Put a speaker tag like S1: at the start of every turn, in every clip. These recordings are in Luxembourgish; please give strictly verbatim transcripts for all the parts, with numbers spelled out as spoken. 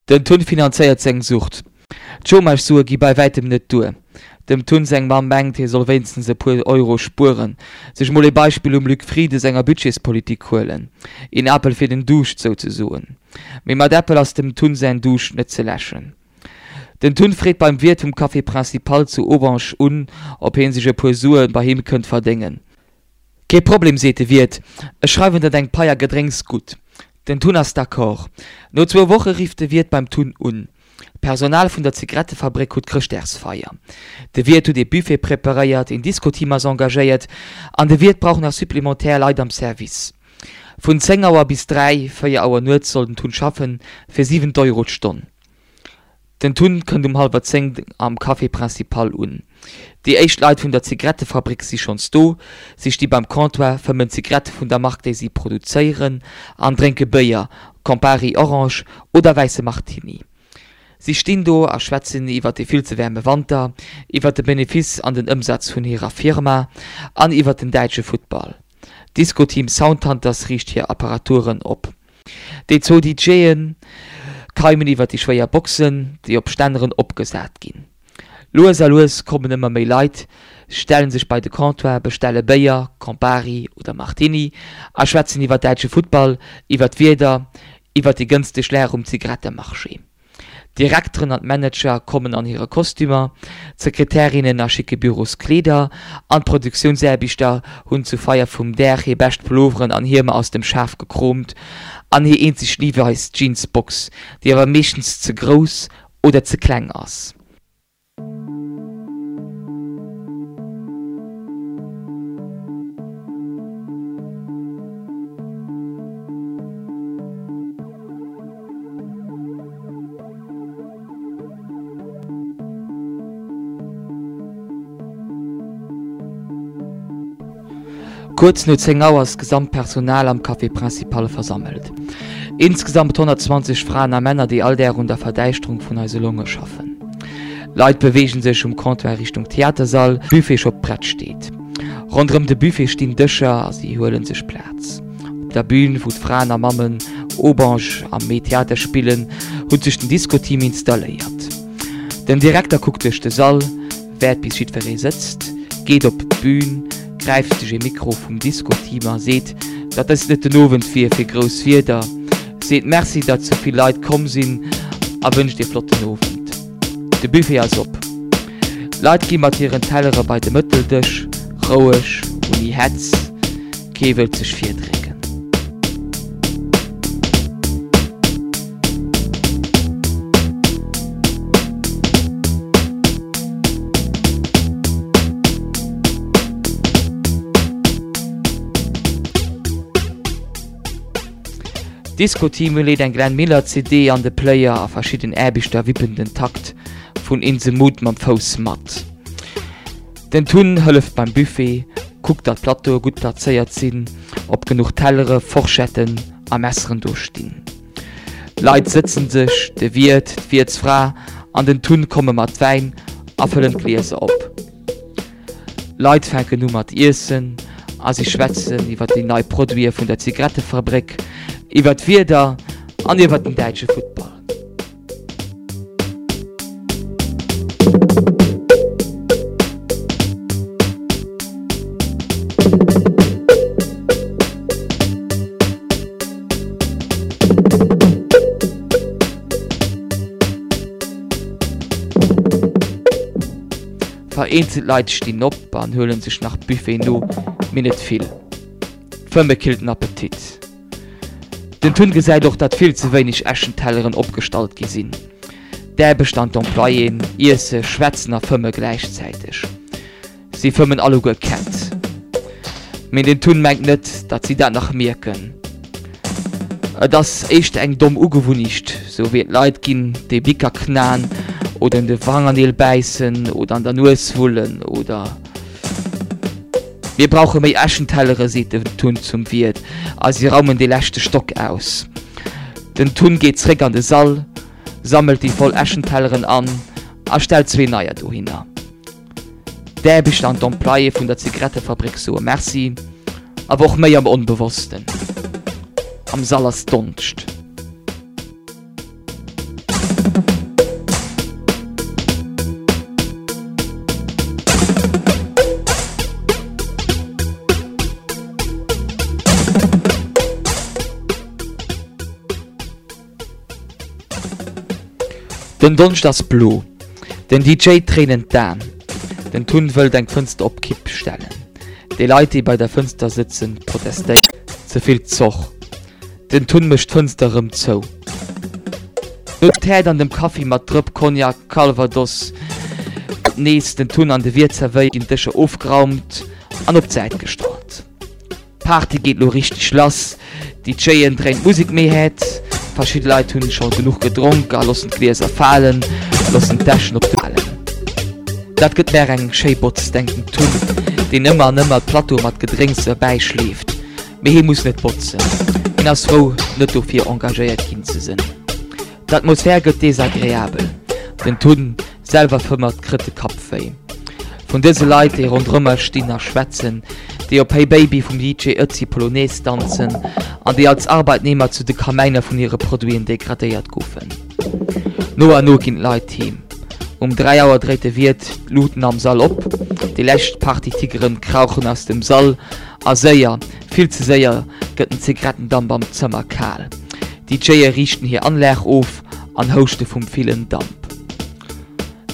S1: Den Tun finanzéiert seng Sucht. D'Chômage-Sue gi bei wäitem net duer. Dem Tun seng Mamm mengt, hie soll wéinstens e puer Euro spueren, sech mol ee Beispill um Luc Frieden senger Budgetspolitik huelen, een Apel fir den Duuscht souzesoen. Mee mat Äppel ass dem Tun säin Duuscht net ze läschen. Den Tun freet beim Wiert vum Café Principal zu Aubange un, ob hie sech e puer Sue bei him kënnt verdéngen. Kee Problem, seet de Wiert, ech schreiwen der deng Pai a Gedrénks gutt. Den Tun ass d'accord. No zwou Woche rifft de Wiert beim Tun un. D'Personal vun der Zigarettefabréck huet Chrëschtdagsfeier. De Wiert huet ee Buffet preparéiert, een Disco-Team ass engagéiert an de Wiert brauch nach supplémentaire Leit am Service. Vun zéng Auer bis dräi, véier Auer nuets soll den Tun schaffen, fir siwen Euro d'Stonn. Den Tun kënnt um hallwer zéng am Café Principal un. Déi éischt Leit vun der Zigarettefabréck si schonns do. Si sti beim Comptoir, fëmmen Zigarette vun der Mark, déi si produzéieren, an drénke Béier, Campari Orange oder wäisse Martini. Si stinn do a schwätzen iwwer de vill ze waarme Wanter, iwwer de Benefice an den Ëmsaz vun hirer Firma an iwwer den däitsche Futtball. D'Disco-Team Soundhunters riicht hir Apparaturen op. Déi zwou DJe keimen iwwer déi schwéier Boxen, déi op Stänneren opgesat ginn. Lues a lues kommen ëmmer méi Leit, stelle sech bei de Comptoir, bestelle Béier, Campari oder Martini a schwätzen iwwer däitsche Futtball, iwwer d'Wieder, iwwer déi gënschteg Lag um Zigarettemarché. D'Direkteren an d'Manager kommen an hire Kostümer, d'Sekretärinnen a schicke Büroskleeder an d'Produktiounsaarbechter hunn zur Feier vum Dag hir bescht Pulloveren an Hiemer aus dem Schaf gekroomt an hir eenzeg Levi's Jeansbox, déi awer meeschtens ze grouss oder ze kleng ass. Kuerz no zéng Auer ass d'gesamt Personal am Café Principal versammelt. Insgesamt honnertzwanzeg Fraen a Männer, déi all Dag un der Verdäischterung vun eise Longe schaffen. Leit beweege sech um Comptoir Richtung Theatersall, Buffet scho prett steet. Ronderëm de Buffet stinn Dëscher a si huele sech Plaz. Op der Bün, wou d'Fraen a Mammen Aubange am Mee Theater spillen, huet sech den Disco-Team installéiert. Den Direkter kuckt duerch de Sall, wäert bis jiddweree sëtzt, geet op d'Bün, gräift sech ee Mikro vum Disco-Team a seet, datt dëst net den Owend wier fir grouss Wierder, seet Merci, datt sou vill Leit komm sinn a wënscht ee flotten Owend. De Buffet ass op. Leit gi mat hiren Tellere bei de Mëtteldësch, roueg, ouni Hetz, kee wëllt sech virdrécken. D'Disco-Team leet eng Glenn Miller C D an de Player a verschidden Aarbechter wippen den Takt vun In the Mood mam Fouss mat. Den Tun hëlleft beim Buffet, kuckt datt d'Plateaue gutt plazéiert sinn, ob genuch Tellere, Forschetten a Messeren do stinn. Leit sëtzen sech, de Wiert, d'Wiertsfra an den Tun komme mat Wäin a fëllen d'Glieser op. Leit fänken u mat iessen a si schwätzen iwwer déi nei Produite vun der Zigarettefabréck, iwwer d'Wieder an iwwer den däitsche Futtball. Vereenzelt Leit stinn op an huelen sech nach Buffet no, mee net vill. D'Fëmme killt den Appetit. Den Tun gesäit och, datt vill ze wéineg Äschentelleren opgestallt gi sinn. D'Aarbechter an d'Employéen iesse, schwätzen a fëmme gläichzäiteg. Si fëmmen alleguer Kett. Mee den Tun mengt net, datt si dat nach mierken. Et ass éischter eng domm Ugewunnicht, sou wéi et Leit ginn, déi Bicker knaen oder un de Fangerneel bäissen oder an der Nues wullen oder. Mir brauche méi Äschentellere, seet den Tun zum Wiert a si raumen dee leschte Stock aus. Den Tun geet zréck an de Sall, sammelt déi voll Äschentelleren an a stellt zwee neier dohinner. D'Aarbechter an d'Employéë vun der Zigarettefabréck soe Merci, awer och méi am Onbewossten. Am Sall ass Donscht. Den Donscht ass blo. Den D J Tréinen d'Aen. Den Tun wëllt eng Fënster op Kipp stellen. Déi Leit, déi bei der Fënster sëtzen, protestéieren. Ze vill Zoch. Den Tun mécht d'Fënster erëm zou. No Tät an dem Kaffi mat Drëpp Cognac, Calvados gëtt nees den Tun an de Wiert zerwéiert, ginn d'Dëscher ofgeraumt an op d'Säit gestallt. D'Party geet lo richteg lass, d'DJen dréinen d'Musek méi haart, verschidde Leit hunn scho genuch gedronk a loossen d'Glieser falen, loossen d'Täschen op de falen. Dat gëtt mär eng schéi Botz, denkt den Tun, deen ëmmer an ëmmer d'Plateaue mat Gedrénks erbäi schleeft. Mee hie muss net botzen, hien ass frou, net dofir engagéiert ginn ze sinn. D'Atmosphär gëtt desagreabel, den Tun selwer fëmmert, kritt de Kapp wéi. Vun dëse Leit, déi ronderëmmer stinn a schwätzen, déi op Hey Baby vum D J Ötzi Polonaise danzen an déi als Arbeitnehmer zu de Kamäiner vun hire Produiten degradéiert goufen. No an no ginn d'Leit heem. Um dräi Auer dréit de Wiert d'Luuten am Sall op, déi lescht Partytigeren krauchen aus dem Sall a séier, vill ze séier, gëtt den Zigarettendamp am Zëmmer kal. D'DJe riichten hir Anlag of an houschte vum villen Damp.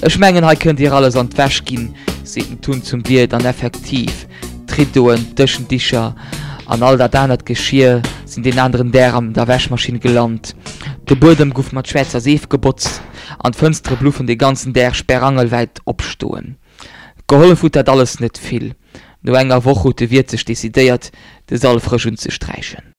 S1: Ech mengen, hei kënnt Dir alles an d'Wäsch ginn, seet den Tun zum Wiert an effektiv, d'Riddoen, d'Dëschendicher an all dat anert Geschir sinn deen aneren Dag an der Wäschmaschinn gelant. De Buedem guff mat schwäerzer Seef gebotzt an d'Fënstere bluffen de ganzen Dag sperrangelwäit opstoen. Gehollef huet dat alles net vill. No enger Woch huet de Wiert sech decidéiert, de Sall frësch unzesträichen.